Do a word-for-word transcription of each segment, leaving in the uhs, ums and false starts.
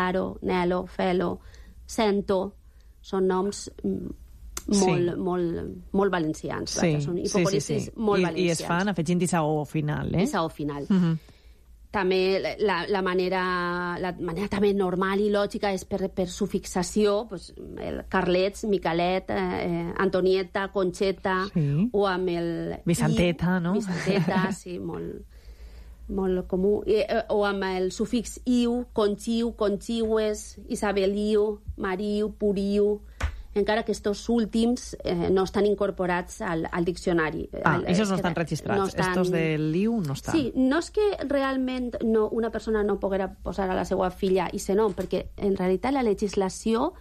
Faro, Nelo, Felo, Cento, són noms molt, sí. molt, molt valencians. Sí, són hipocoristes sí, sí, sí. molt I, valencians. I es fan afegint i saó final, eh? I saó final. Uh -huh. També la, la, manera, la manera també normal i lògica és per, per sufixació, pues, el Carlets, Micalet, eh, Antonieta, Conxeta, sí. o amb el... Vicenteta, i, no? Vicenteta, sí, molt, molt comú. I, o amb el sufix iu, conxiu, conxiues, isabeliu, mariu, puriu... encara que estos últims eh, no estan incorporats al, al diccionari. Ah, el, esos no estan registrats. No estan... Estos del I U no estan. Sí, no és que realment no, una persona no poguera posar a la seva filla i ser nom, perquè en realitat la legislació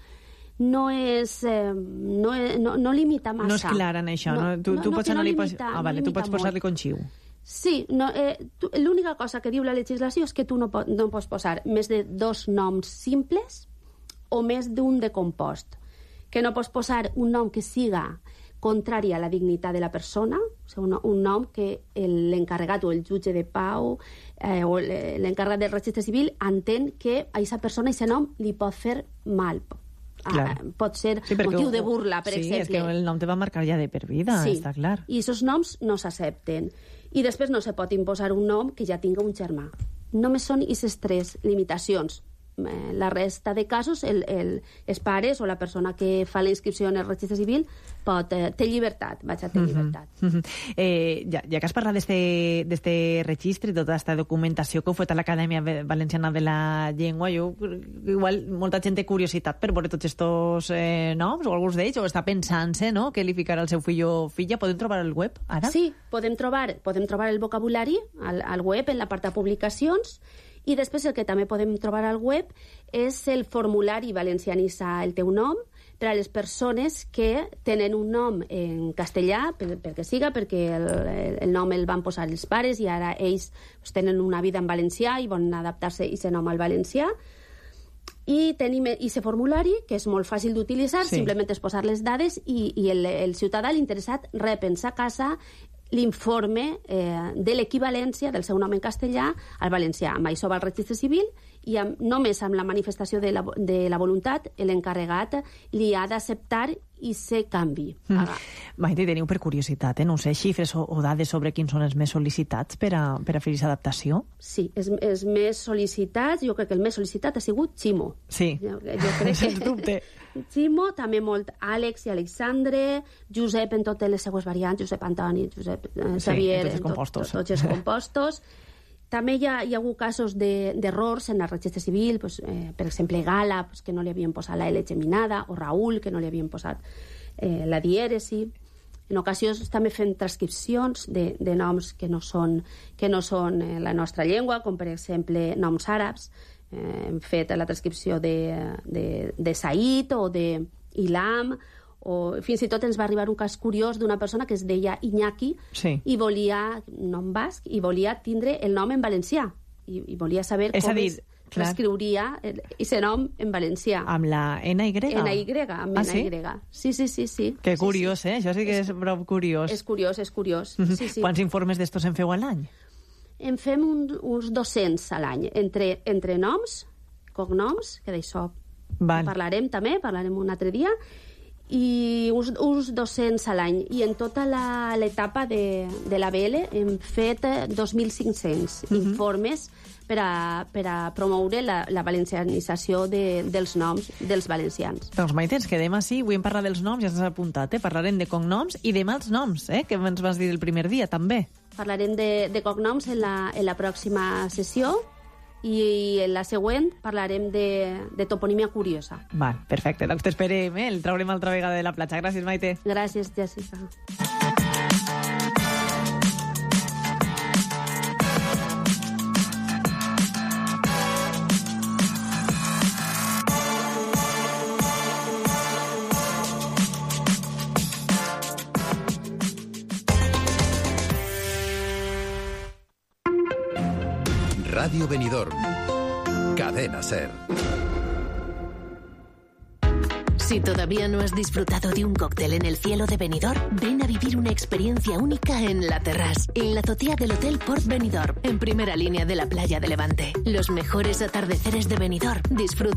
no és... Eh, no, no, no limita massa. No és clara en això, no? no? Tu, no, tu no, pots no anar-li... limita, Ah, vale, no tu pots posar-li molt. conxiu. Sí, no, eh, l'única cosa que diu la legislació és que tu no, pot, no pots posar més de dos noms simples o més d'un de compost. Que no pots posar un nom que siga contrari a la dignitat de la persona, o sigui, un, un nom que l'encarregat o el jutge de pau eh, o l'encarregat del registre civil entén que a aquesta persona, a aquest nom, li pot fer mal. Ah, pot ser sí, motiu de burla, per sí, exemple. Sí, és que el nom te va marcar ja de per vida, sí, està clar. I aquests noms no s'accepten. I després no se pot imposar un nom que ja tinga un germà. Només són aquestes tres limitacions. La resta de casos, el, el, els pares o la persona que fa la inscripció en el registre civil pot, eh, té llibertat, vaig a tenir uh-huh. llibertat. Uh-huh. Eh, ja, ja que has parlat d'este registre i tota aquesta documentació que heu fet a l'Acadèmia Valenciana de la Llengua, jo, igual molta gent té curiositat per veure tots estos eh, noms o alguns d'ells, o està pensant-se, no?, que li ficarà el seu fill o filla. Podem trobar el web, ara? Sí, podem trobar, podem trobar el vocabulari al, al web, en l'apartat publicacions. I després el que també podem trobar al web és el formulari Valencianissa el teu nom per a les persones que tenen un nom en castellà, per, perquè siga, perquè el, el nom el van posar els pares i ara ells pues, tenen una vida en valencià i volen adaptar-se aquest nom al valencià. I tenim aquest formulari, que és molt fàcil d'utilitzar, sí. Simplement és posar les dades i, i el, el ciutadà, l'interessat, rep en sa casa l'informe eh, de l'equivalència del seu nom en castellà al valencià. Amb això va al registre civil i amb, només amb la manifestació de la, de la voluntat l'encarregat li ha d'acceptar i se canvi. Mm. Maite, teniu per curiositat, eh? no sé, xifres o, o dades sobre quins són els més sol·licitats per a, per a fer aquesta adaptació? Sí, els, els més sol·licitats, jo crec que el més sol·licitat ha sigut Ximo. Sí, jo, jo crec sens que... dubte. Ximo, també molt Àlex i Alexandre, Josep en totes les seues variants, Josep Antoni, Josep eh, Xavier, sí, en tots els compostos. Tot, tots els compostos. També hi ha, hi ha hagut casos d'errors de, en el registre civil, pues, eh, per exemple, Gala, pues, que no li havien posat la L geminada, o Raül, que no li havien posat eh, la dièresi. En ocasions també fem transcripcions de, de noms que no són, que no són eh, la nostra llengua, com per exemple noms àrabs. Eh, hem fet la transcripció de, de, de Said o de Ilam, o fins i tot ens va arribar un cas curiós d'una persona que es deia Iñaki sí. i volia, nom basc, i volia tindre el nom en valencià i, i volia saber és com dir, es reescriuria aquest nom en valencià. Amb la N Y? N Y, amb ah, N Y. Sí? sí, sí, sí, sí. Que curiós, sí, sí. eh? Això sí que és, és prou curiós. És curiós, és curiós. Mm-hmm. sí, sí. Quants informes d'estos en feu a l'any? En fem un, uns dos-cents a l'any, entre, entre noms, cognoms, que d'això parlarem també, parlarem un altre dia, i uns, uns dos-cents a l'any. I en tota l'etapa de, de la B L hem fet dos mil cinc-cents mm-hmm. informes per a, per a promoure la, la valencianització de, dels noms dels valencians. Doncs Maite, ens quedem així. Avui hem parlat dels noms, ja s'has apuntat, eh? Parlarem de cognoms i de mals noms, eh? Que ens vas dir el primer dia, també. Parlarem de, de cognoms en la, en la pròxima sessió i en la següent parlarem de, de toponímia curiosa. Val, perfecte. Doncs t'esperem, eh? El traurem altra vegada de la platja. Gràcies, Maite. Gràcies, Jessica. Radio Benidorm. Cadena SER. Si todavía no has disfrutado de un cóctel en el cielo de Benidorm, ven a vivir una experiencia única en La Terrasse, en la azotea del Hotel Port Benidorm, en primera línea de la playa de Levante. Los mejores atardeceres de Benidorm. Disfruta